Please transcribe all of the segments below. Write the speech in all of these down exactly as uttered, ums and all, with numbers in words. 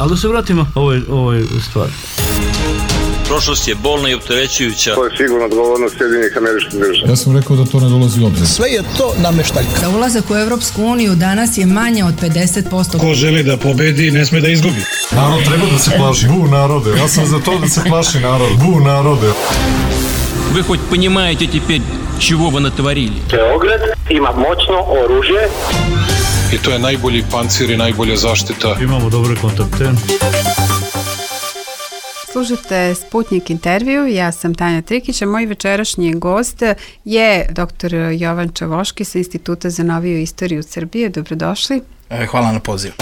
Ali da se vratimo ovoj, ovoj stvari. Prošlost je bolna i opterećujuća. To je sigurno odgovornost Sjedinjenih Američkih Država. Ja sam rekao da to ne dolazi u obzir. Sve je to nameštaljka. Da ulazak u Evropsku uniju danas je manje od pedeset posto. Ko želi da pobedi, ne sme da izgubi. Narod treba da se plaši. Bu narode. Ja sam za to da se plaši narod. Bu narode. Вы хоть понимаете теперь, чего вы натворили? Beograd ima moćno oružje. I to je najbolji pancir i najbolja zaštita. Imamo dobre kontakte. Slušate Sputnik intervju, ja sam Tanja Trikić, a moj večerašnji gost je doktor Jovan Čavoški sa Instituta za noviju istoriju Srbije. Dobrodošli. Hvala na pozivu.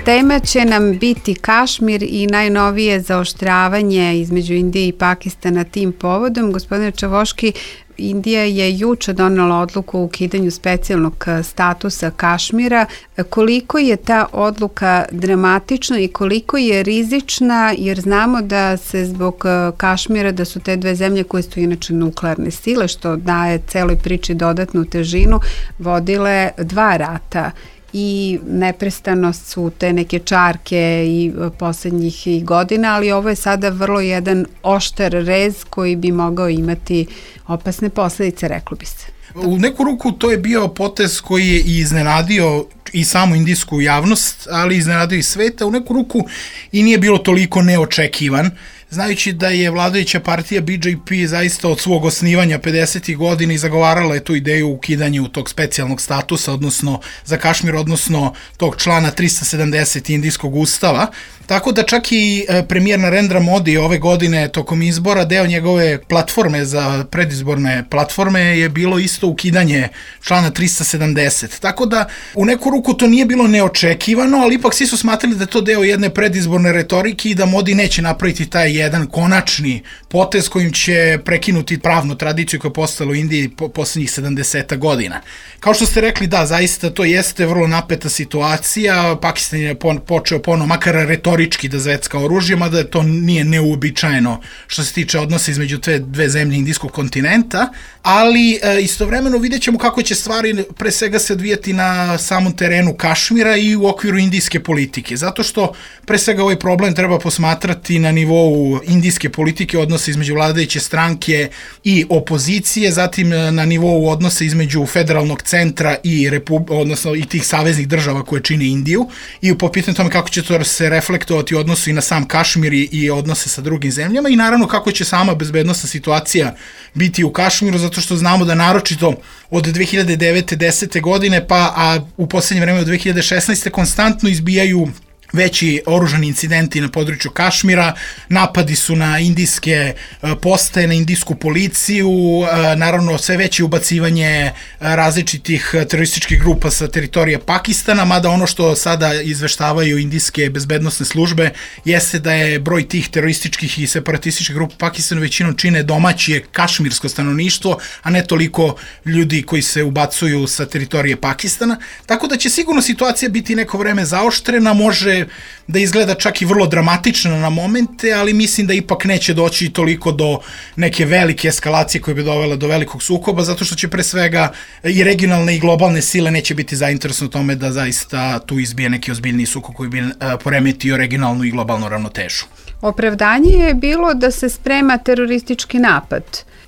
Tema će nam biti Kašmir i najnovije zaoštravanje između Indije i Pakistana tim povodom. Gospodine Čavoški, Indija je juče donela odluku o ukidanju specijalnog statusa Kašmira. Koliko je ta odluka dramatična i koliko je rizična, jer znamo da se zbog Kašmira, da su te dve zemlje koje su inače nuklearne sile, što daje celoj priči dodatnu težinu, vodile dva rata. I neprestano su te neke čarke i poslednjih godina, ali ovo je sada vrlo jedan oštar rez koji bi mogao imati opasne posledice, reklo bi se. U neku ruku to je bio potez koji je i iznenadio i samu indijsku javnost, ali iznenadio i sveta. U neku ruku i nije bilo toliko neočekivan, znajući da je vladajuća partija B J P zaista od svog osnivanja pedesetih godina i zagovarala je tu ideju ukidanju tog specijalnog statusa, odnosno za Kašmir, odnosno tog člana trista sedamdeset indijskog ustava. Tako da čak i premijer Narendra Modi ove godine tokom izbora, deo njegove platforme za predizborne platforme je bilo isto ukidanje člana trista sedamdeset. Tako da u neku ruku to nije bilo neočekivano, ali ipak svi su smatrali da je to deo jedne predizborne retorike i da Modi neće napraviti taj jedan konačni potez kojim će prekinuti pravnu tradiciju koja je postala u Indiji po poslednjih sedamdeset godina. Kao što ste rekli, da, zaista to jeste vrlo napeta situacija. Pakistan je počeo ponovo, makar retorički, da zvecka oružje, mada to nije neuobičajeno što se tiče odnosa između te dve zemlje indijskog kontinenta, ali e, istovremeno vidjet ćemo kako će stvari pre svega se odvijati na samom terenu Kašmira i u okviru indijske politike, zato što pre svega ovaj problem treba posmatrati na nivou indijske politike, odnosa između vladajuće stranke i opozicije, zatim na nivou odnosa između federalnog centra i repub, odnosno i tih saveznih država koje čine Indiju i po pitanju tome kako će to se reflektovati u odnosu i na sam Kašmir i, i odnose sa drugim zemljama i naravno kako će sama bezbednosna situacija biti u Kašmiru, zato što znamo da naročito od dve hiljade devete desete godine pa a u poslednje vreme od dve hiljade šesnaeste konstantno izbijaju veći oružani incidenti na području Kašmira, napadi su na indijske postaje, na indijsku policiju, naravno sve veće ubacivanje različitih terorističkih grupa sa teritorije Pakistana, mada ono što sada izveštavaju indijske bezbednosne službe jeste da je broj tih terorističkih i separatističkih grupa Pakistana većinom čine domaće kašmirsko stanovništvo, a ne toliko ljudi koji se ubacuju sa teritorije Pakistana, tako da će sigurno situacija biti neko vreme zaoštrena, može da izgleda čak i vrlo dramatično na momente, ali mislim da ipak neće doći toliko do neke velike eskalacije koje bi dovela do velikog sukoba, zato što će pre svega i regionalne i globalne sile neće biti zainteresovane u tome da zaista tu izbije neki ozbiljni sukob koji bi poremetio regionalnu i globalnu ravnotežu. Opravdanje je bilo da se sprema teroristički napad.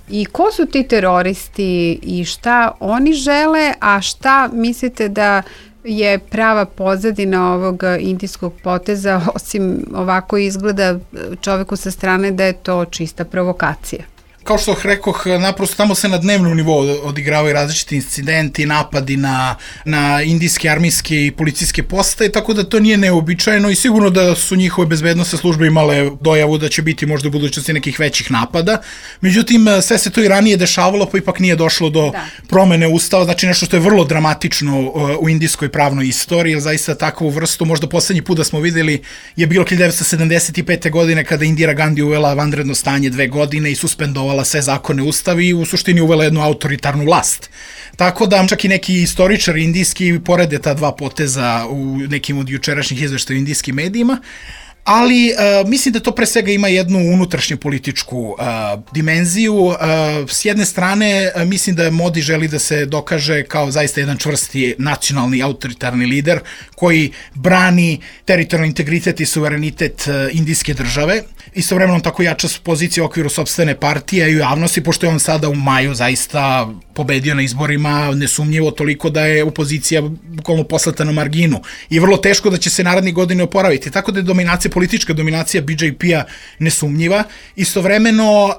I ko su ti teroristi i šta oni žele, a šta mislite da je prava pozadina ovog indijskog poteza, osim ovako izgleda čoveku sa strane da je to čista provokacija? Kao što rekoh, naprosto tamo se na dnevnom nivou odigravaju različiti incidenti, napadi na, na indijske, armijske i policijske postaje, tako da to nije neobičajeno i sigurno da su njihove bezbednosne službe imale dojavu da će biti možda u budućnosti nekih većih napada. Međutim, sve se to i ranije dešavalo, pa ipak nije došlo do da. promene ustava, znači nešto što je vrlo dramatično u indijskoj pravnoj istoriji, jer zaista takvu vrstu, možda poslednji put da smo videli je bilo hiljadu devetsto sedamdeset pete. godine kada Indira Gandhi uvela vanredno stanje dve godine i suspendovala sve zakone ustavi i u suštini uvela jednu autoritarnu vlast. Tako da čak i neki istoričari indijski porede ta dva poteza u nekim od jučerašnjih izveštaja u indijskim medijima. ali uh, mislim da to pre svega ima jednu unutrašnju političku uh, dimenziju. Uh, s jedne strane, uh, mislim da Modi želi da se dokaže kao zaista jedan čvrsti nacionalni autoritarni lider koji brani teritorijalni integritet i suverenitet uh, indijske države. Istovremeno tako jača pozicija u okviru sopstvene partije i u javnosti, pošto je on sada u maju zaista pobedio na izborima, nesumnjivo toliko da je opozicija bukvalno poslata na marginu i vrlo teško da će se narednih godine oporaviti. Tako da je dominacija, politička dominacija B J P-a nesumnjiva. Istovremeno uh,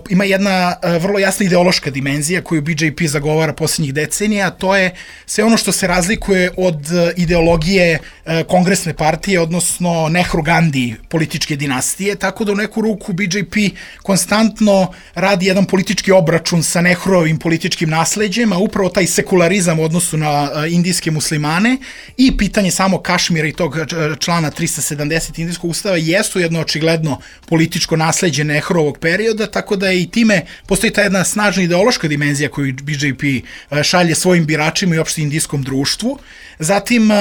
ima jedna uh, vrlo jasna ideološka dimenzija koju B J P zagovara posljednjih decenija, a to je sve ono što se razlikuje od uh, ideologije uh, kongresne partije, odnosno Nehru-Gandhi političke dinastije, tako da u neku ruku B J P konstantno radi jedan politički obračun sa Nehruovim političkim nasleđem, a upravo taj sekularizam u odnosu na uh, indijske muslimane i pitanje samo Kašmira i tog člana trista sedamdeset indijskog ustava jesu jedno očigledno političko nasleđe Nehruovog perioda, tako da je i time postoji ta jedna snažna ideološka dimenzija koju B J P uh, šalje svojim biračima i uopšte indijskom društvu. Zatim, uh,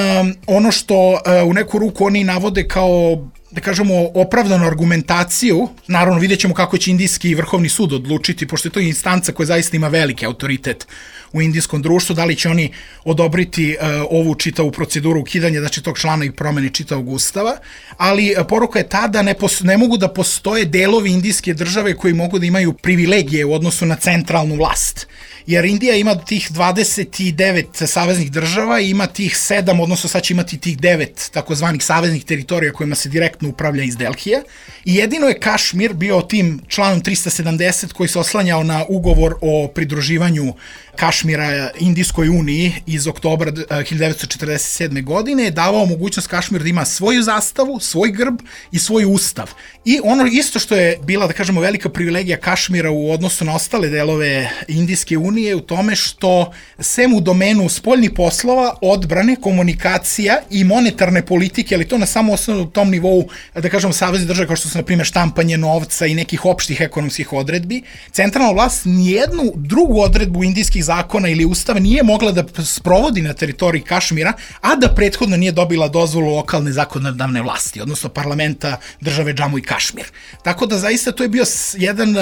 ono što uh, u neku ruku oni navode kao, da kažemo, opravdanu argumentaciju, naravno vidjet ćemo kako će indijski vrhovni sud odlučiti, pošto je to instanca koja zaista ima veliki autoritet u indijskom društvu, da li će oni odobriti uh, ovu čitavu proceduru ukidanja, znači tog člana i promene čitavog ustava, ali uh, poruka je ta da ne, pos, ne mogu da postoje delovi indijske države koji mogu da imaju privilegije u odnosu na centralnu vlast. Jer Indija ima tih dvadeset devet saveznih država i ima tih sedam, odnosno sad će imati tih devet takozvanih saveznih teritorija kojima se direktno upravlja iz Delhija. I jedino je Kašmir bio tim članom trista sedamdeset koji se oslanjao na ugovor o pridruživanju Kašmira Indijskoj uniji iz oktobra hiljadu devetsto četrdeset sedme. godine, je davao mogućnost Kašmir da ima svoju zastavu, svoj grb i svoj ustav. I ono isto što je bila, da kažemo, velika privilegija Kašmira u odnosu na ostale delove Indijske unije u tome što sem u domenu spoljnih poslova, odbrane, komunikacija i monetarne politike, ali to na samo osnovu tom nivou, da kažemo, savezne države kao što su, na primjer, štampanje novca i nekih opštih ekonomskih odredbi, centralna vlast nijednu drugu odredbu indijskih zakona ili ustava nije mogla da sprovodi na teritoriji Kašmira, a da prethodno nije dobila dozvolu lokalne zakonodavne vlasti, odnosno parlamenta države Džamu i Kašmir. Tako da zaista to je bio jedan,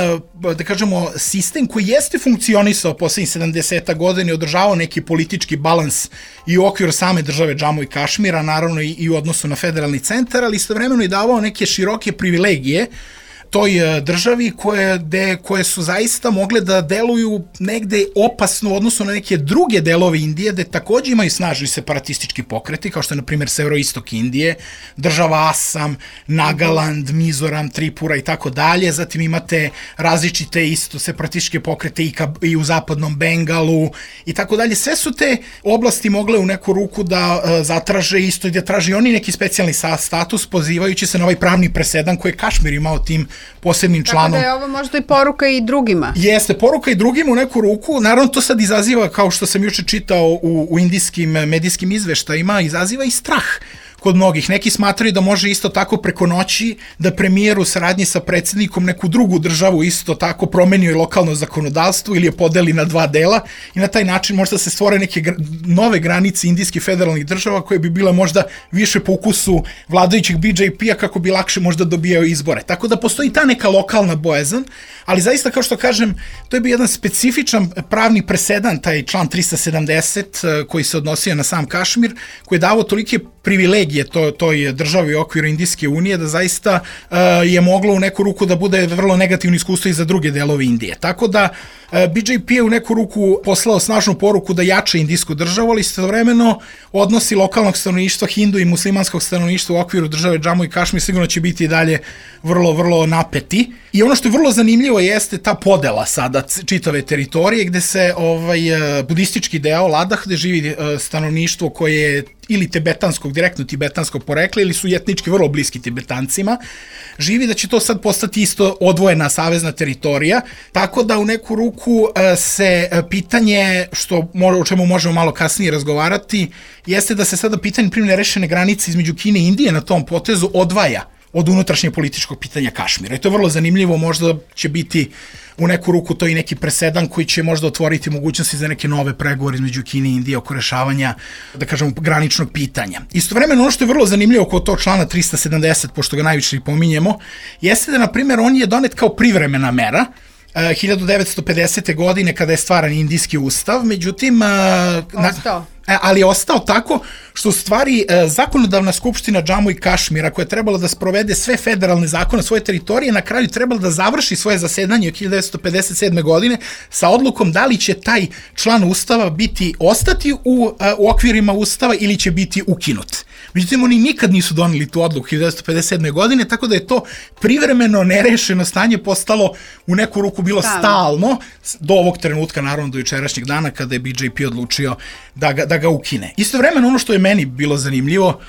da kažemo, sistem koji jeste funkcionisao poslednjih sedamdeset godina i održavao neki politički balans i u okviru same države Džamu i Kašmira, naravno i, i u odnosu na federalni centar, ali istovremeno i davao neke široke privilegije toj državi koje, de, koje su zaista mogle da deluju negde opasno u odnosu na neke druge delove Indije, gde takođe imaju snažni separatistički pokreti, kao što je, na primjer, severoistok Indije, država Asam, Nagaland, Mizoram, Tripura i tako dalje. Zatim imate različite isto separatističke pokrete i, ka, i u zapadnom Bengalu i tako dalje. Sve su te oblasti mogle u neku ruku da uh, zatraže isto i da traži oni neki specijalni status, pozivajući se na ovaj pravni presedan koji je Kašmir imao tim posebnim članom. Tako da je ovo možda i poruka i drugima. Jeste, poruka i drugima u neku ruku. Naravno, to sad izaziva, kao što sam juče čitao u, u indijskim medijskim izveštajima, izaziva i strah kod mnogih. Neki smatraju da može isto tako preko noći da premijer u saradnji sa predsjednikom neku drugu državu isto tako promenio i lokalno zakonodavstvo ili je podeli na dva dela i na taj način možda se stvore neke gra nove granice indijskih federalnih država koje bi bile možda više po ukusu vladajućih B J P-a kako bi lakše možda dobijao izbore. Tako da postoji ta neka lokalna bojazan, ali zaista, kao što kažem, to je bio jedan specifičan pravni presedan, taj član trista sedamdeset koji se odnosio na sam Kašmir, koji je davao tolike privilegije to, toj državi u okviru Indijske unije da zaista uh, je moglo u neku ruku da bude vrlo negativno iskustvo i za druge delove Indije. Tako da uh, B J P je u neku ruku poslao snažnu poruku da jača indijsku državu, ali istovremeno odnosi lokalnog stanovništva, hindu i muslimanskog stanovništva u okviru države Džamu i Kašmir sigurno će biti i dalje vrlo, vrlo napeti. I ono što je vrlo zanimljivo jeste ta podela sada čitave teritorije gde se ovaj budistički deo Ladah, gde živi stanovništvo koje je ili tibetanskog, direktno tibetanskog porekla ili su etnički vrlo bliski Tibetancima, živi da će to sad postati isto odvojena savezna teritorija, tako da u neku ruku se pitanje, što o čemu možemo malo kasnije razgovarati, jeste da se sada pitanje primjer nerešene granice između Kine i Indije na tom potezu odvaja od unutrašnjeg političkog pitanja Kašmira. I to je vrlo zanimljivo, možda će biti u neku ruku to i neki presedan koji će možda otvoriti mogućnosti za neke nove pregovore između Kine i Indije oko rešavanja, da kažemo, graničnog pitanja. Istovremeno, ono što je vrlo zanimljivo oko tog člana trista sedamdeset, pošto ga najviše i pominjemo, jeste da, na primjer, on je donet kao privremena mera, hiljadu devetsto pedesete. godine kada je stvaran indijski ustav, međutim... Ostao. Ali je ostao tako što u stvari zakonodavna skupština Džamu i Kašmira, koja je trebala da sprovede sve federalne zakone svoje teritorije, na kraju trebala da završi svoje zasedanje od hiljadu devetsto pedeset sedme. godine sa odlukom da li će taj član ustava biti ostati u, u okvirima ustava ili će biti ukinut. Međutim, oni nikad nisu doneli tu odluku hiljadu devetsto pedeset sedme. godine, tako da je to privremeno nerešeno stanje postalo u neku ruku bilo stalno, stalno do ovog trenutka, naravno do jučerašnjeg dana kada je B J P odlučio da ga, da ga ukine. Istovremeno, ono što je meni bilo zanimljivo,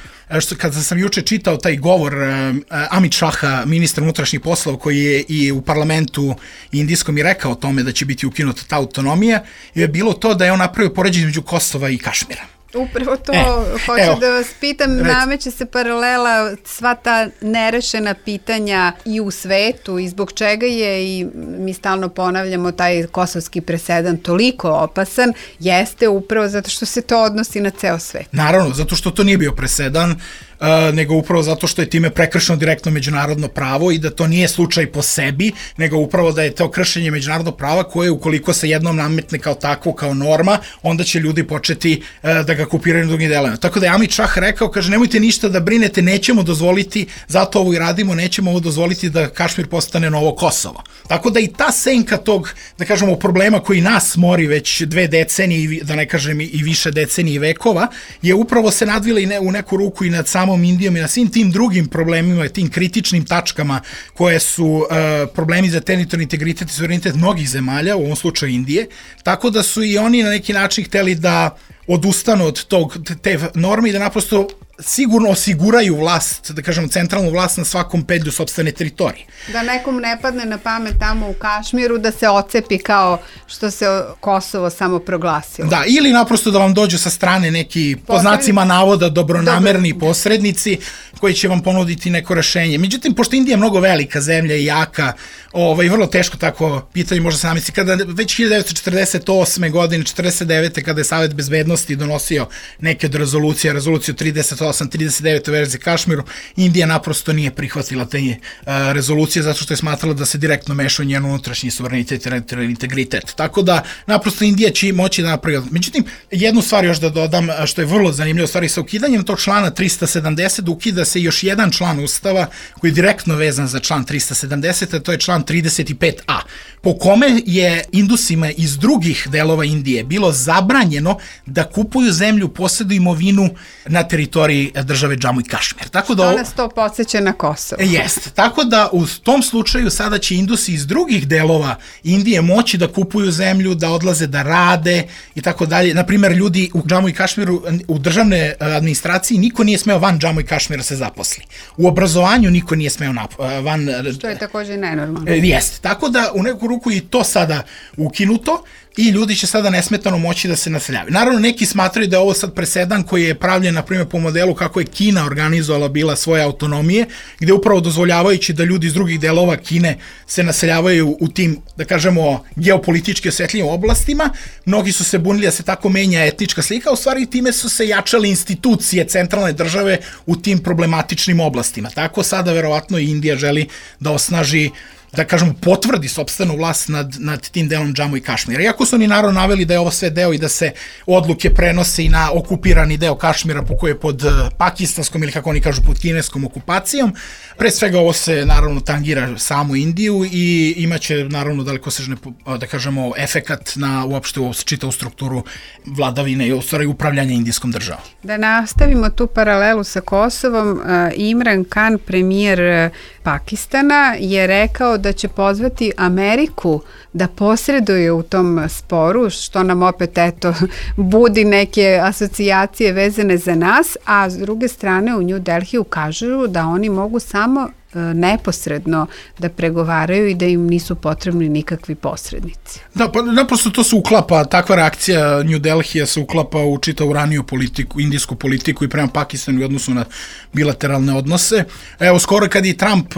što kada sam juče čitao taj govor uh, Amit Shaha, ministra unutrašnjih poslova, koji je i u parlamentu indijskom i rekao o tome da će biti ukinuta ta autonomija, je bilo to da je on napravio poređenje između Kosova i Kašmira. Upravo to, e, hoću evo, da vas pitam, rec... nameće se paralela sva ta nerešena pitanja i u svetu i zbog čega je, i mi stalno ponavljamo, taj kosovski presedan toliko opasan, jeste upravo zato što se to odnosi na ceo svet. Naravno, zato što to nije bio presedan, Uh, nego upravo zato što je time prekršeno direktno međunarodno pravo i da to nije slučaj po sebi, nego upravo da je to kršenje međunarodnog prava koje ukoliko se jednom nametne kao takvo, kao norma, onda će ljudi početi uh, da ga kopiraju na drugim delovima. Tako da je Amit Shah rekao, kaže, nemojte ništa da brinete, nećemo dozvoliti, zato ovo i radimo, nećemo ovo dozvoliti da Kašmir postane novo Kosovo. Tako da i ta senka tog, da kažemo, problema koji nas mori već dve decenije, da ne kažem i više decenije i vekova, je upravo se nadvila i ne, u neku ruku i nad samom Indijom i na svim tim drugim problemima, tim kritičnim tačkama koje su uh, problemi za teritorijalni integritet i suverenitet mnogih zemalja, u ovom slučaju Indije, tako da su i oni na neki način hteli da odustanu od tog, te norme i da naprosto sigurno osiguraju vlast, da kažemo centralnu vlast na svakom pedlju sopstvene teritorije. Da nekom ne padne na pamet tamo u Kašmiru da se ocepi kao što se Kosovo samo proglasilo. Da, ili naprosto da vam dođu sa strane neki, po znacima navoda, dobronamerni Dobro. posrednici koji će vam ponuditi neko rešenje. Međutim, pošto Indija je mnogo velika zemlja i jaka, ovaj, vrlo teško tako pitanje možda se namisli. Kada već hiljadu devetsto četrdeset osme. godine, četrdeset devete. kada je Savet bezbednosti donosio neke od rezolucija, rezoluciju trideset osam trideset devet u verziji Kašmiru, Indija naprosto nije prihvatila te uh, rezolucije zato što je smatrala da se direktno meša u njenu unutrašnji suverenitet i teritorijalni integritet. Tako da naprosto Indija će moći da napravi. Međutim, jednu stvar još da dodam, što je vrlo zanimljivo, stvari sa ukidanjem tog člana trista sedamdeset ukida se još jedan član Ustava koji je direktno vezan za član trista sedamdeset, a to je član trideset pet a, po kome je Indusima iz drugih delova Indije bilo zabranjeno da kupuju zemlju, posjeduju imovinu na teritoriji države Džamu i Kašmir. Tako da, što nas to podsjeća na Kosovo. Jest. Tako da u tom slučaju sada će Indusi iz drugih delova Indije moći da kupuju zemlju, da odlaze da rade i tako dalje. Naprimer, ljudi u Džamu i Kašmiru, u državne administraciji niko nije smeo van Džamu i Kašmira se zaposli. U obrazovanju niko nije smeo nap- van... Što je također nenormalno. Jeste. Tako da u neku ruku i to sada ukinuto i ljudi će sada nesmetano moći da se naseljavaju. Naravno, neki smatraju da je ovo sad presedan koji je pravljen, na primjer, po modelu kako je Kina organizovala bila svoje autonomije, gde upravo dozvoljavajući da ljudi iz drugih delova Kine se naseljavaju u tim, da kažemo, geopolitički osetljivim oblastima. Mnogi su se bunili da se tako menja etnička slika, u stvari time su se jačale institucije centralne države u tim problematičnim oblastima. Tako sada verovatno i Indija želi da osnaži, da kažemo, potvrdi sopstvenu vlast nad, nad tim delom Džamu i Kašmira. Iako su oni naravno naveli da je ovo sve deo i da se odluke prenose i na okupirani deo Kašmira po koje je pod pakistanskom ili kako oni kažu pod kineskom okupacijom, pre svega ovo se naravno tangira samu Indiju i imaće naravno dalekosežne, da kažemo, efekat na uopšte čitavu strukturu vladavine i u stvari upravljanja indijskom državom. Da nastavimo tu paralelu sa Kosovom, Imran Khan, premijer Pakistana, je rekao da će pozvati Ameriku da posreduje u tom sporu, što nam opet eto budi neke asocijacije vezane za nas, a s druge strane u New Delhiju kažu da oni mogu samo neposredno da pregovaraju i da im nisu potrebni nikakvi posrednici. Da, pa naprosto to se uklapa, takva reakcija New Delhija se uklapa u čitavu raniju politiku, indijsku politiku i prema Pakistanu u odnosu na bilateralne odnose. Evo, skoro kad je Trump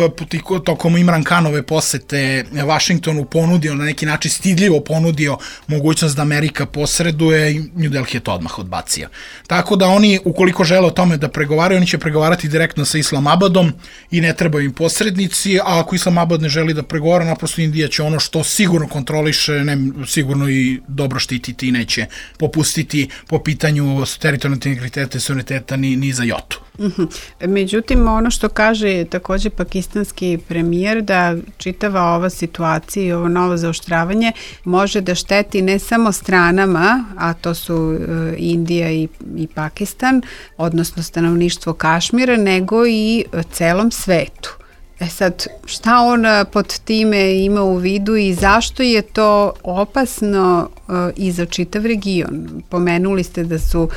tokom Imran Khanove posete Vašingtonu ponudio, na neki način stidljivo ponudio mogućnost da Amerika posreduje, New Delhi je to odmah odbacio. Tako da oni, ukoliko žele o tome da pregovaraju, oni će pregovarati direktno sa Islamabadom i ne trebaju im posrednici, a ako Islamabad ne želi da pregovara, naprosto Indija će ono što sigurno kontroliše, ne, sigurno i dobro štititi i neće popustiti po pitanju teritorijalnog integriteta i suvereniteta ni, ni za jotu. Uh-huh. Međutim, ono što kaže takođe pakistanski premijer, da čitava ova situacija i ovo novo zaoštravanje može da šteti ne samo stranama, a to su uh, Indija i, i Pakistan, odnosno stanovništvo Kašmira, nego i uh, celom svetu. E sad, šta on pod time ima u vidu i zašto je to opasno uh, i za čitav region? Pomenuli ste da su uh,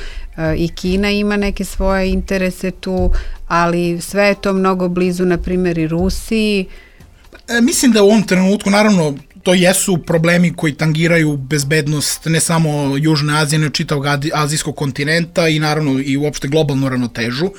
i Kina ima neke svoje interese tu, ali sve je to mnogo blizu, na primjer, i Rusiji. E, mislim da u ovom trenutku, naravno, to jesu problemi koji tangiraju bezbednost ne samo Južne Azije, nego čitavog azijskog kontinenta i naravno i uopšte globalnu ravnotežu.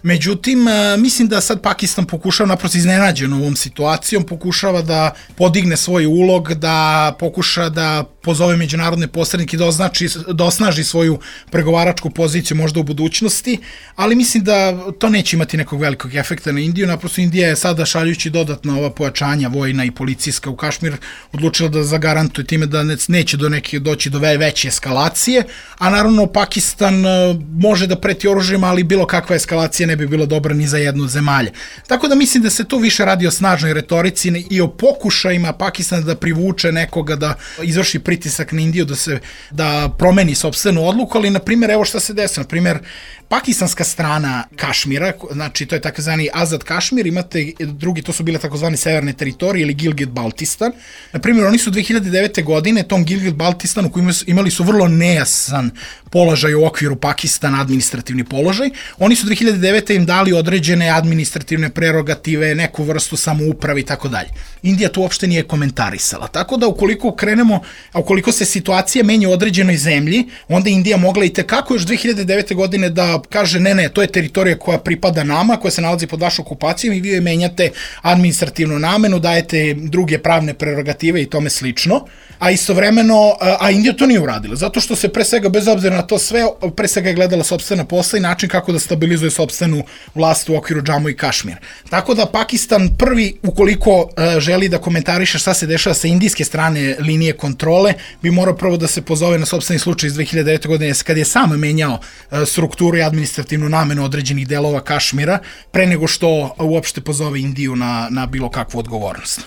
Međutim, mislim da sad Pakistan pokušava, naprosto iznenađen ovom situacijom, pokušava da podigne svoj ulog, da pokuša da pozove međunarodne posrednike, da, označi, da osnaži svoju pregovaračku poziciju možda u budućnosti, ali mislim da to neće imati nekog velikog efekta na Indiju. Naprosto Indija je sada, šaljući dodatna ova pojačanja vojna i policijska u Kašmir, odlučila da zagarantuje time da neće do neke doći do veće eskalacije, a naravno Pakistan može da preti oružjima, ali bilo kakva eskalacija ne bi bila dobra ni za jednu zemalje. Tako da mislim da se tu više radi o snažnoj retorici i o pokušajima Pakistana da privuče nekoga da izvrši pritisak na Indiju, da se da promeni sopstvenu odluku, ali na primjer evo šta se desilo, na primjer pakistanska strana Kašmira, znači to je takozvani Azad Kašmir, imate drugi, to su bile takozvani severne teritorije ili Gilgit-Baltistan. Na primjer, oni su dve hiljade devete. godine tom Gilgit-Baltistanu koji imali su vrlo nejasan položaj u okviru Pakistana, administrativni položaj, oni su dve hiljade devete. im dali određene administrativne prerogative, neku vrstu samouprave i tako dalje. Indija to uopšte nije komentarisala. Tako da ukoliko krenemo, a ukoliko se situacija menja u određenoj zemlji, onda Indija mogla i tekako još dve hiljade devete. godine da kaže ne, ne, to je teritorija koja pripada nama, koja se nalazi pod vašom okupacijom i vi joj menjate administrativnu namenu, dajete druge pravne prerogative i tome slično, a istovremeno, a Indija to nije uradila, zato što se pre svega, bez obzira na to sve, pre svega je gledala sopstvena posla i način kako da stabilizuje sopstvenu vlast u okviru Džamu i Kašmira. Tako da Pakistan prvi, ukoliko uh, želi da komentariše šta se dešava sa indijske strane linije kontrole, bi morao prvo da se pozove na sopstveni slučaj iz dve hiljade devete. godine, kad je sam menjao uh, strukturu i administrativnu namenu određenih delova Kašmira, pre nego što uopšte pozove Indiju na, na bilo kakvu odgovornost.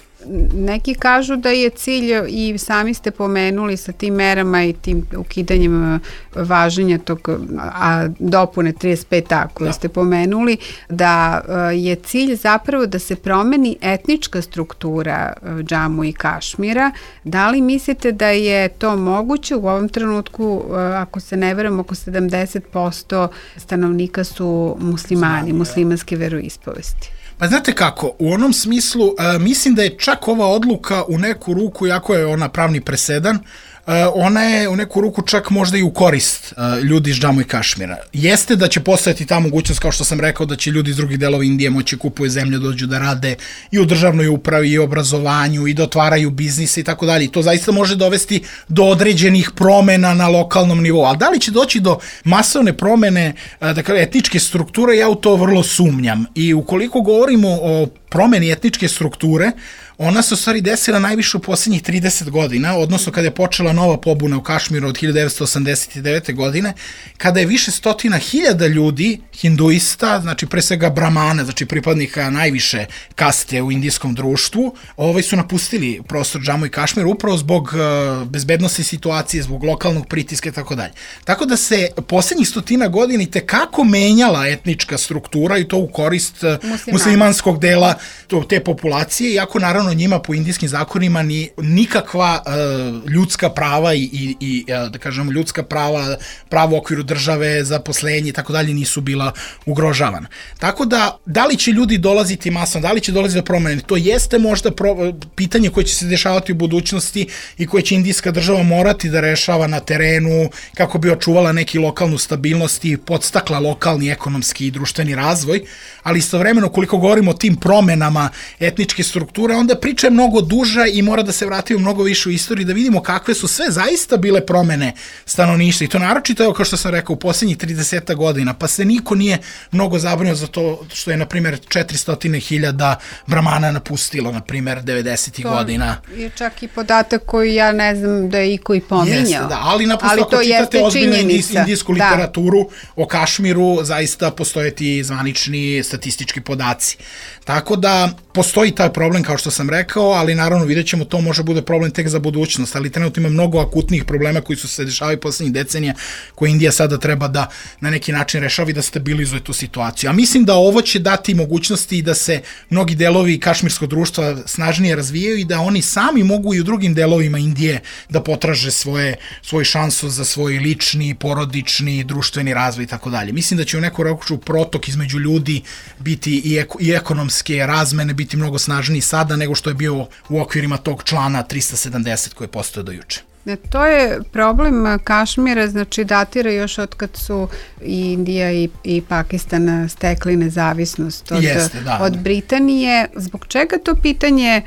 Neki kažu da je cilj, i sami ste pomenuli sa tim merama i tim ukidanjem važenja tog a, dopune trideset pet a koje da. ste pomenuli, da je cilj zapravo da se promeni etnička struktura Džamu i Kašmira. Da li mislite da je to moguće? U ovom trenutku, ako se ne verujem, oko sedamdeset posto stanovnika su muslimani, muslimanske veroispovesti. Pa znate kako, u onom smislu, uh, mislim da je čak ova odluka u neku ruku, jako je ona pravni presedan, uh, ona je u neku ruku čak možda i u korist uh, ljudi iz Džamu i Kašmira. Jeste da će postojati ta mogućnost, kao što sam rekao, da će ljudi iz drugih delova Indije moći kupuje zemlje, dođu da rade i u državnoj upravi i obrazovanju i da otvaraju biznise i tako dalje. I to zaista može dovesti do određenih promena na lokalnom nivou. Ali da li će doći do masovne promene, uh, dakle, etničke strukture, ja u to vrlo sumnjam. I ukoliko govorimo o promeni etničke strukture, ona se u stvari desila najviše u posljednjih trideset godina, odnosno kada je počela nova pobuna u Kašmiru od hiljadu devetsto osamdeset devete. godine, kada je više stotina hiljada ljudi, hinduista, znači pre svega bramana, znači pripadnika najviše kaste u indijskom društvu, ovaj su napustili prostor Džamu i Kašmir upravo zbog uh, bezbednosti situacije, zbog lokalnog pritiska i tako dalje. Tako da se posljednjih stotina godina i tekako menjala etnička struktura i to u korist uh, muslimanskog dela to, te populacije, iako naravno njima po indijskim zakonima ni nikakva uh, ljudska prava i, i, i da kažemo ljudska prava, pravo u okviru države, zaposlenje i tako dalje nisu bila ugrožavana. Tako da, da li će ljudi dolaziti masno, da li će dolaziti do promene, to jeste možda pro, pitanje koje će se dešavati u budućnosti i koje će indijska država morati da rešava na terenu kako bi očuvala neki lokalnu stabilnost i podstakla lokalni ekonomski i društveni razvoj, ali istovremeno koliko govorimo o tim promenama etničke strukture, onda priča je mnogo duža i mora da se vratimo mnogo više u istoriju da vidimo kakve su sve zaista bile promene stanovništva i to naročito, evo kao što sam rekao, u posljednjih trideset godina, pa se niko nije mnogo zabrinio za to što je, na primjer, četiristo hiljada Bramana napustilo, na primjer, devedesetih godina. To je čak i podatak koji ja ne znam da je iko i pominjao. Jeste, da, ali naprosto ako čitate ozbiljnu indijsku literaturu o Kašmiru, zaista postoje ti zvanični statistički podaci. Tako da postoji taj problem, kao što sam rekao, ali naravno vidjet ćemo, to može bude problem tek za budućnost, ali trenutno ima mnogo akutnih problema koji su se dešavali poslednjih decenija, koje Indija sada treba da na neki način rešava i da stabilizuje tu situaciju. A mislim da ovo će dati mogućnosti da se mnogi delovi kašmirskog društva snažnije razvijaju i da oni sami mogu i u drugim delovima Indije da potraže svoje, svoju šansu za svoj lični, porodični, društveni razvoj i tako dalje. Mislim da će u neku roku protok između ljudi biti i, eko, i ekonomske razmene biti mnogo snažniji sada nego što je bio u okvirima tog člana trista sedamdeset koji je postao do juče. Ne, to je problem Kašmira, znači datira još od kad su i Indija i, i Pakistan stekli nezavisnost od, Jeste, da, od Britanije. Zbog čega to pitanje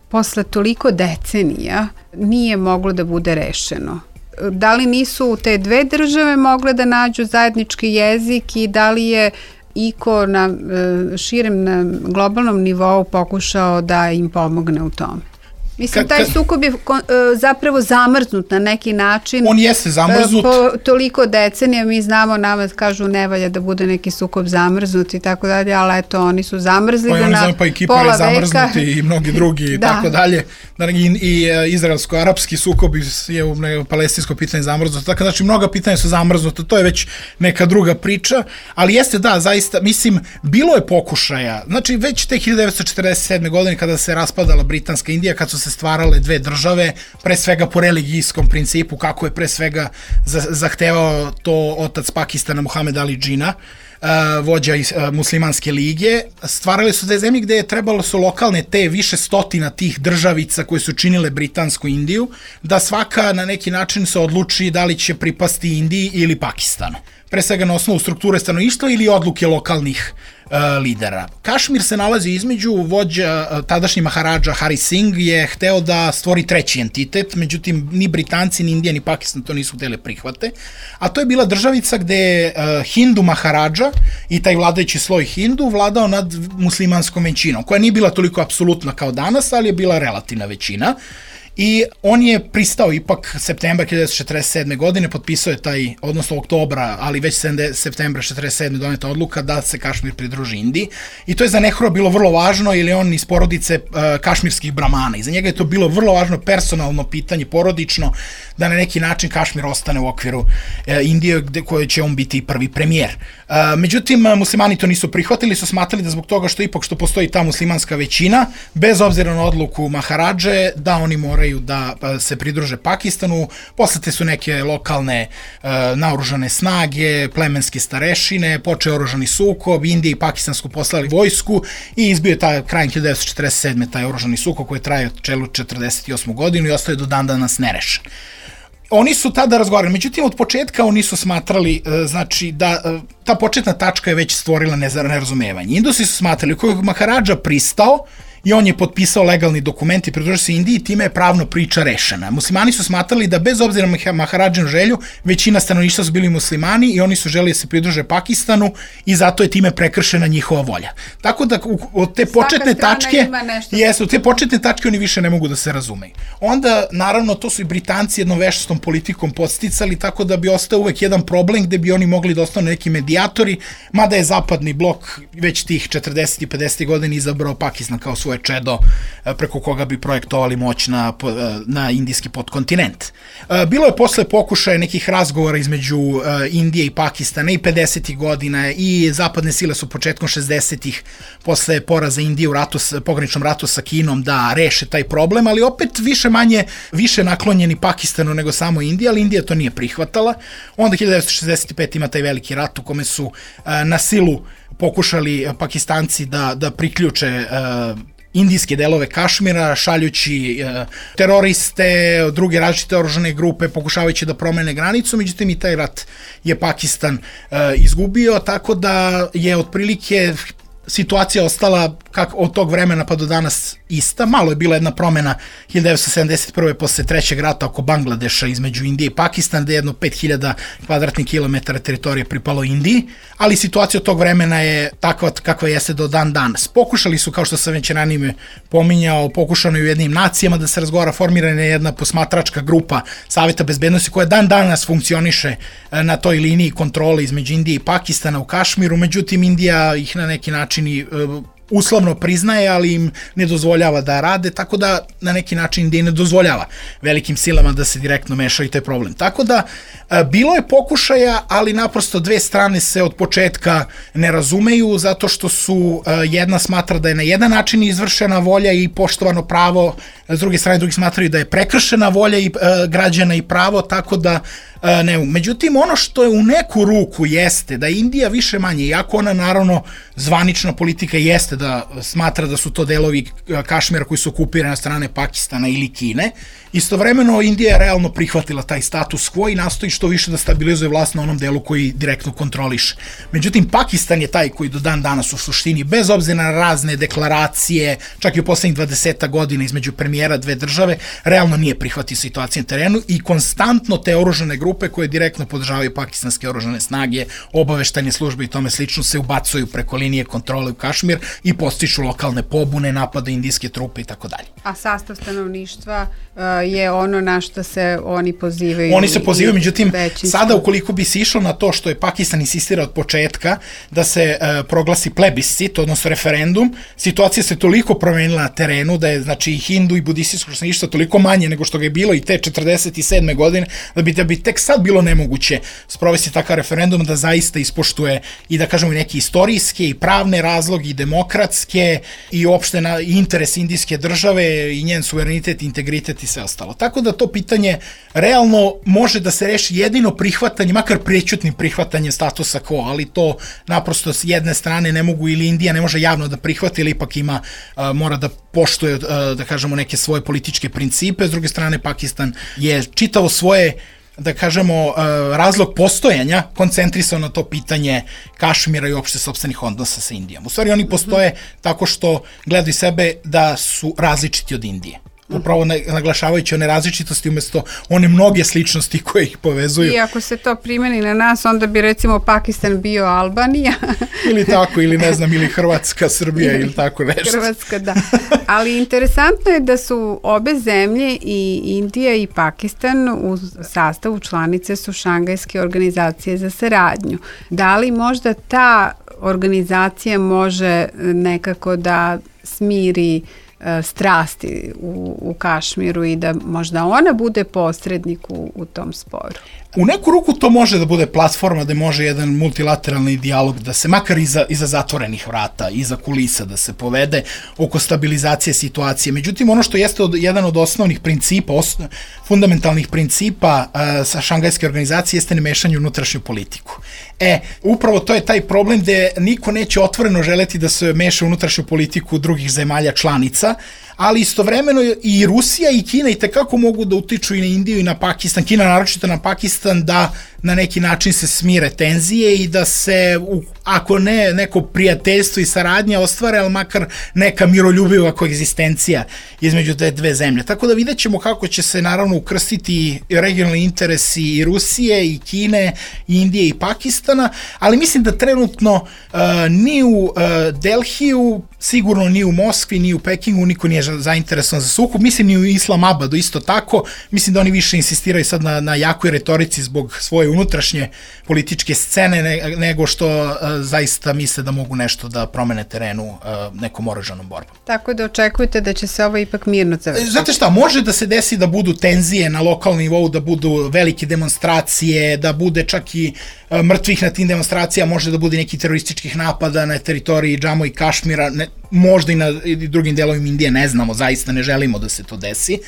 posle toliko decenija nije moglo da bude rešeno? Da li nisu te dve države mogle da nađu zajednički jezik i da li je iko na širem na globalnom nivou pokušao da im pomogne u tome? Mislim, taj sukob je zapravo zamrznut na neki način. On jeste zamrznut. Po toliko decenija mi znamo, nama kažu ne valja da bude neki sukob zamrznut i tako dalje, ali eto, oni su zamrzli pa ga na pa i Kipar je zamrznuti i mnogi drugi i da. tako dalje. I, i izraelsko-arapski sukob je u palestinsko pitanje zamrznuto. Tako znači, mnoga pitanja su zamrznuta, to je već neka druga priča, ali jeste da, zaista, mislim, bilo je pokušaja. Znači, već te hiljadu devetsto četrdeset sedme. godine kada se raspadala Britanska Indija, kad su se stvarale dve države, pre svega po religijskom principu, kako je pre svega zahtevao to otac Pakistana Muhamed Ali Džina, vođa iz muslimanske lige. Stvarali su dve zemlje gde je trebalo su lokalne te više stotina tih državica koje su činile Britansku Indiju, da svaka na neki način se odluči da li će pripasti Indiji ili Pakistanu. Pre svega na osnovu strukture stanovništva ili odluke lokalnih uh, lidera. Kašmir se nalazi između, vođa uh, tadašnji Maharadža Hari Singh je hteo da stvori treći entitet, međutim ni Britanci, ni Indija, ni Pakistan to nisu hteli prihvate, a to je bila državica gde je uh, Hindu Maharadža i taj vladajući sloj Hindu vladao nad muslimanskom većinom, koja nije bila toliko apsolutna kao danas, ali je bila relativna većina. I on je pristao ipak septembra hiljadu devetsto četrdeset sedme. godine, potpisao je taj, odnosno oktobra, ali već septembra četrdeset sedme. doneta odluka da se Kašmir pridruži Indiji. I to je za Nehrua bilo vrlo važno, jer je on iz porodice uh, kašmirskih bramana. I za njega je to bilo vrlo važno personalno pitanje, porodično, da na neki način Kašmir ostane u okviru uh, Indije, gde koje će on biti prvi premijer. Uh, međutim, muslimani to nisu prihvatili, su smatrali da zbog toga što ipak što postoji ta muslimanska većina, bez obzira na odluku Maharadže, da oni moraju da se pridruže Pakistanu. Poslate su neke lokalne uh, naoružane snage, plemenske starešine, počeo oružani sukob, Indija i Pakistan su poslali vojsku i izbio je taj krajem hiljadu devetsto četrdeset sedme. taj oružani sukob koji traje od čelu četrdeset osmu. godinu i ostaje do dan danas nerešen. Oni su tada razgovarali, međutim od početka oni su smatrali, znači da ta početna tačka je već stvorila nerazumevanje. Indusi su smatrali, kojeg Maharadža pristao i on je potpisao legalni dokument i pridružio se Indiji, time je pravno priča rešena. Muslimani su smatrali da bez obzira na Maharadžinu želju, većina stanovništva su bili muslimani i oni su želeli da se pridruže Pakistanu i zato je time prekršena njihova volja. Tako da od te početne tačke, jesu, od te početne tačke oni više ne mogu da se razumeju. Onda, naravno, to su i Britanci jednom veštom politikom podsticali, tako da bi ostao uvek jedan problem gde bi oni mogli da ostanu neki medijatori, mada je zapadni blok već tih četrdesetih i pedesetih godina izabrao Pakistan kao svoje je čedo preko koga bi projektovali moć na, na indijski podkontinent. Bilo je posle pokušaja nekih razgovora između Indije i Pakistana i pedesetih godina i zapadne sile su početkom šezdesetih posle poraza Indije u ratu, pograničnom ratu sa Kinom da reše taj problem, ali opet više manje više naklonjeni Pakistanu nego samo Indija, ali Indija to nije prihvatala. Onda hiljadu devetsto šezdeset pet ima taj veliki rat u kome su na silu pokušali Pakistanci da, da priključe indijske delove Kašmira, šaljući e, teroriste, druge različite oružane grupe, pokušavajući da promene granicu, međutim i taj rat je Pakistan e, izgubio, tako da je otprilike situacija ostala kak, od tog vremena pa do danas ista. Malo je bila jedna promena hiljadu devetsto sedamdeset prve posle trećeg rata oko Bangladeša između Indije i Pakistana, gde je jedno pet hiljada kvadratnih kilometara teritorije pripalo Indiji, ali situacija od tog vremena je takva kakva jeste do dan danas. Pokušali su, kao što sam već ranije pominjao, pokušano i u jednim nacijama da se razgovara, formirana je jedna posmatračka grupa Saveta bezbednosti koja dan danas funkcioniše na toj liniji kontrole između Indije i Pakistana u Kašmiru, međutim Indija ih na neki način i uslovno priznaje, ali im ne dozvoljava da rade, tako da na neki način Indija ne dozvoljava velikim silama da se direktno mešaju taj problem. Tako da bilo je pokušaja, ali naprosto dve strane se od početka ne razumeju, zato što su jedna smatra da je na jedan način izvršena volja i poštovano pravo, s druge strane drugi smatraju da je prekršena volja i građana i pravo, tako da ne. Međutim, ono što je u neku ruku jeste da Indija više manje, iako ona naravno zvanična politika jeste da smatra da su to delovi Kašmira koji su okupirani od strane Pakistana ili Kine, istovremeno Indija je realno prihvatila taj status quo i nastoji što više da stabilizuje vlast na onom delu koji direktno kontroliše. Međutim, Pakistan je taj koji do dan danas u suštini, bez obzira na razne deklaracije, čak i u poslednjih dvadeset godina između premijera dve države, realno nije prihvatio situaciju na terenu i konstantno te oružane grupe koje direktno podržavaju pakistanske oružane snage, obaveštajne službe i tome slično se ubacuju preko linije kontrole u Kašmir i postiču lokalne pobune, napade indijske trupe i tako dalje. A sastav stanovništva uh, je ono na što se oni pozivaju. Oni se pozivaju, međutim, većinsko. Sada ukoliko bi se išlo na to što je Pakistan insistira od početka da se uh, proglasi plebiscit, odnosno referendum, situacija se toliko promenila na terenu da je znači i hindu i budističko stanovništvo toliko manje nego što ga je bilo i te četrdeset sedme godine, da bi, da bi tek sad bilo nemoguće sprovesti takav referendum da zaista ispoštuje i da kažemo neki istorijske i pravne razloge i demokratske i opšte na interes indijske države i njen suverenitet, integritet i sve ostalo. Tako da to pitanje realno može da se reši jedino prihvatanje, makar prećutnim prihvatanjem statusa quo, ali to naprosto s jedne strane ne mogu ili Indija ne može javno da prihvati ili ipak ima, uh, mora da poštuje, uh, da kažemo, neke svoje političke principe, s druge strane Pakistan je čitavo svoje da kažemo, razlog postojanja koncentrisao na to pitanje Kašmira i uopšte sopstvenih odnosa sa Indijom. U stvari oni postoje tako što gledaju sebe da su različiti od Indije. Upravo naglašavajući one različitosti umesto one mnoge sličnosti koje ih povezuju. I ako se to primeni na nas, onda bi recimo Pakistan bio Albanija. Ili tako, ili ne znam, ili Hrvatska, Srbija ili tako nešto. Hrvatska, da. Ali interesantno je da su obe zemlje, i Indija i Pakistan, u sastavu članice su Šangajske organizacije za saradnju. Da li možda ta organizacija može nekako da smiri strasti u, u Kašmiru i da možda ona bude posrednik u, u tom sporu? U neku ruku to može da bude platforma da može jedan multilateralni dijalog da se makar iza, iza zatvorenih vrata, iza kulisa da se povede oko stabilizacije situacije. Međutim, ono što jeste od, jedan od osnovnih principa, os, fundamentalnih principa uh, sa Šangajske organizacije jeste nemešanje u unutrašnju politiku. E, upravo to je taj problem gde niko neće otvoreno želeti da se meša u unutrašnju politiku drugih zemalja članica, ali istovremeno i Rusija i Kina i tekako mogu da utiču i na Indiju i na Pakistan, Kina naročito na Pakistan, da na neki način se smire tenzije i da se, ako ne neko prijateljstvo i saradnja ostvare, ali makar neka miroljubiva koegzistencija između te dve zemlje. Tako da vidjet ćemo kako će se naravno ukrstiti regionalni interesi i Rusije i Kine, i Indije i Pakistana, ali mislim da trenutno uh, ni u uh, Delhiju, sigurno ni u Moskvi, ni u Pekingu niko nije zainteresovan za sukob, mislim ni u Islamabadu isto tako, mislim da oni više insistiraju sad na, na jakoj retorici zbog svoje unutrašnje političke scene ne, nego što zaista misle da mogu nešto da promene terenu uh, nekom oružanom borbom. Tako da očekujete da će se ovo ipak mirno završiti. Znate šta, može da se desi da budu tenzije na lokalnom nivou, da budu velike demonstracije, da bude čak i uh, mrtvih na tim demonstracijama, može da bude neki terorističkih napada na teritoriji Džamu i Kašmira, ne, možda i na i drugim delovima Indije, ne znamo, zaista ne želimo da se to desi.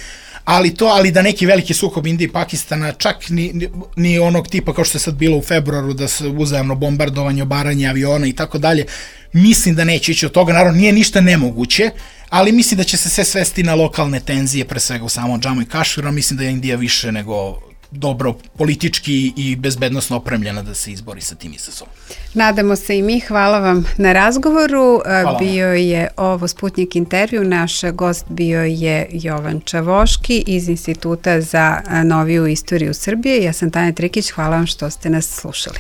Ali to, ali da neki veliki sukob Indije i Pakistana, čak ni, ni, ni onog tipa kao što je sad bilo u februaru, da se uzajamno bombardovanje, obaranje aviona i tako dalje, mislim da neće ići od toga, naravno nije ništa nemoguće, ali mislim da će se sve svesti na lokalne tenzije, pre svega u samom Džamu i Kašmiru, mislim da je Indija više nego dobro politički i bezbednosno opremljena da se izbori sa tim izazovom. Nadamo se i mi, hvala vam na razgovoru. Hvala. Bio je ovo Sputnik intervju, naš gost bio je Jovan Čavoški iz Instituta za noviju istoriju Srbije. Ja sam Tanja Trikić, hvala vam što ste nas slušali.